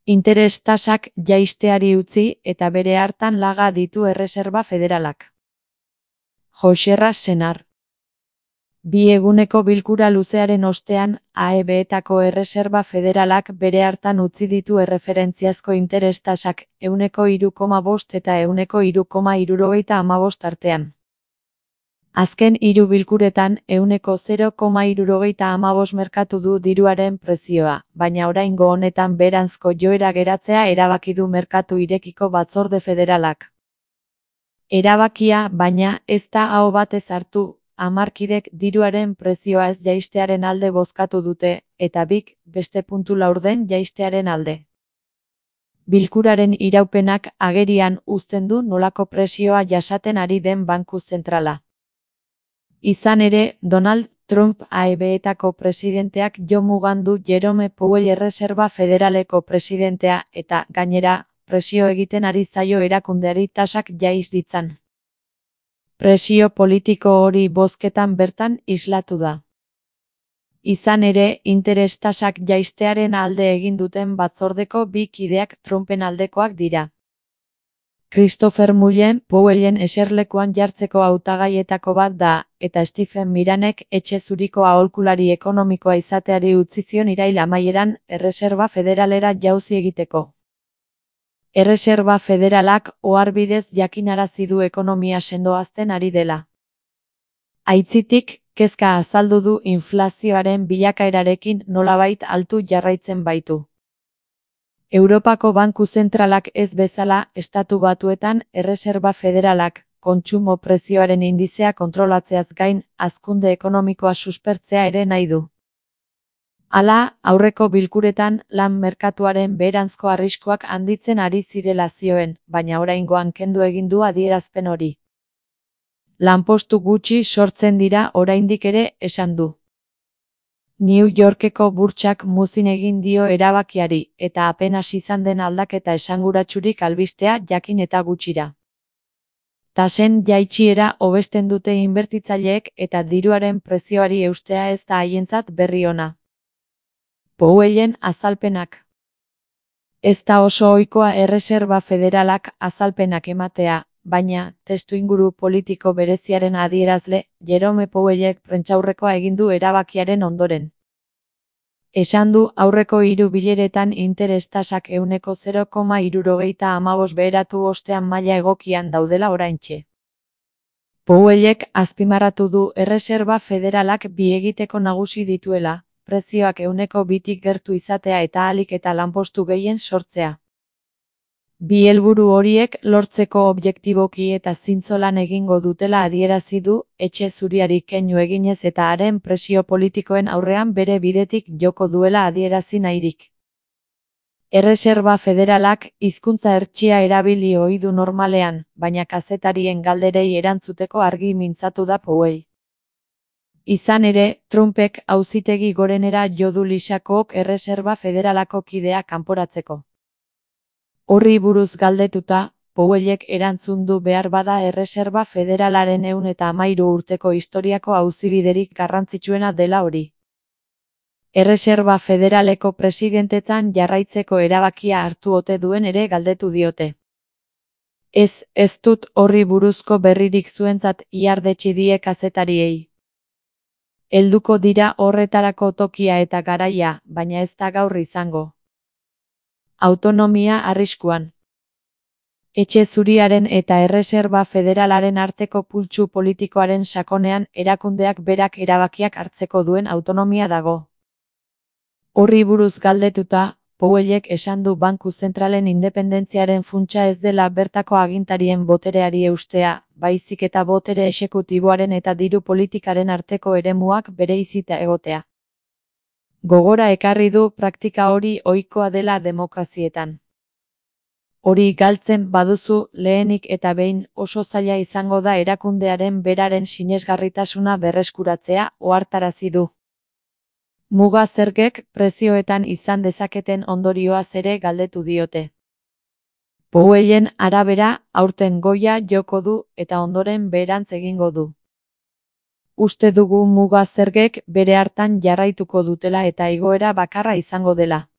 Interes tasak jaisteari utzi eta bere hartan laga ditu Erreserba Federalak. Joxerra Senar. Bi eguneko bilkura luzearen ostean, AEB-etako Erreserba Federalak bere hartan utzi ditu erreferentziazko interes tasak 3,5 eta 3,75 artean. Azken 3 bilkuretan 0,75 merkatu du diruaren prezioa, baina oraingo honetan beheranzko joera geratzea erabaki du merkatu irekiko batzorde federalak. Erabakia, baina, ez da aho batez hartu, 10 kidek diruaren prezioa ez jaistearen alde bozkatu dute, eta bik, beste puntu laurden jaistearen alde. Bilkuraren iraupenak agerian uzten du nolako presioa jasaten ari den banku zentrala. Izan ere, Donald Trump AEB-etako presidenteak jo mugandu Jerome Powell Erreserba Federaleko presidentea eta, gainera, presio egiten ari zaio erakundeari tasak jaiz ditzan. Presio politiko hori bozketan bertan islatu da. Izan ere, interes tasak jaistearen alde egin duten batzordeko bi kideak Trumpen aldekoak dira. Christopher Mullen Powellen eserlekuan jartzeko hautagaietako bat da, eta Stephen Miranek etxe zuriko aholkulari ekonomikoa izateari utzi zion irail amaieran Erreserba Federalera jauzi egiteko. Erreserba Federalak oharbidez jakinarazi du ekonomia sendoazten ari dela. Aitzitik, kezka azaldu du inflazioaren bilakaerarekin nolabait altu jarraitzen baitu. Europako Banku Zentralak ez bezala, Estatu Batuetan Erreserba Federalak, kontsumo prezioaren indizea kontrolatzeaz gain, hazkunde ekonomikoa suspertzea ere nahi du. Hala, aurreko bilkuretan lan merkatuaren beheranzko arriskuak handitzen ari zirela zioen, baina oraingoan kendu egin du adierazpen hori. Lanpostu gutxi sortzen dira oraindik ere, esan du. New Yorkeko burtsak muzin egin dio erabakiari, eta apenas izan den aldaketa esanguratsurik albistea jakin eta gutxira. Tasen jaitsiera hobesten dute inbertitzaileek eta diruaren prezioari eustea ez da haientzat berri ona. Powellen azalpenak. Ez da oso ohikoa Erreserba Federalak azalpenak ematea, baina, testuinguru politiko bereziaren adierazle, Jerome Powellek prentsaurrekoa egin du erabakiaren ondoren. Esan du aurreko 3 bileretan interes tasak 0,75 beheratu ostean maila egokian daudela oraintxe. Powellek azpimarratu du Erreserba Federalak bi egiteko nagusi dituela, prezioak 2tik gertu izatea eta ahalik eta lanpostu gehien sortzea. Bi helburu horiek lortzeko objektiboki eta zintzolan egingo dutela adierazi du, etxe zuriari keinu eginez eta haren presio politikoen aurrean bere bidetik joko duela adierazi nahirik. Erreserba Federalak hizkuntza hertsia erabili ohi du normalean, baina kazetarien galderei erantzuteko argi mintzatu da Powell. Izan ere, Trumpek auzitegi gorenera jo du Lisakok Erreserba Federalako kidea kanporatzeko. Horri buruz galdetuta, Powellek erantzun du behar bada Erreserba Federalaren 113 urteko historiako auzibiderik garrantzitsuena dela hori. Erreserba Federaleko presidentetzan jarraitzeko erabakia hartu ote duen ere galdetu diote. Ez dut horri buruzko berririk zuentzat ihardetsi die kazetariei. Helduko dira horretarako tokia eta garaia, baina ez da gaur izango. Autonomia arriskuan. Etxe zuriaren eta Erreserba Federalaren arteko pultsu politikoaren sakonean erakundeak berak erabakiak hartzeko duen autonomia dago. Horri buruz galdetuta, Powellek esan du Banku Zentralen independentziaren funtsa ez dela bertako agintarien botereari eustea, baizik eta botere exekutiboaren eta diru politikaren arteko eremuak bereizita egotea. Gogora ekarri du praktika hori ohikoa dela demokrazietan. Hori galtzen baduzu, lehenik eta behin oso zaila izango da erakundearen beraren sinesgarritasuna berreskuratzea, ohartarazi du. Muga zergek prezioetan izan dezaketen ondorioaz ere galdetu diote. Powellen arabera, aurten goia joko du eta ondoren beherantz egingo du. Uste dugu muga zergek bere hartan jarraituko dutela eta igoera bakarra izango dela.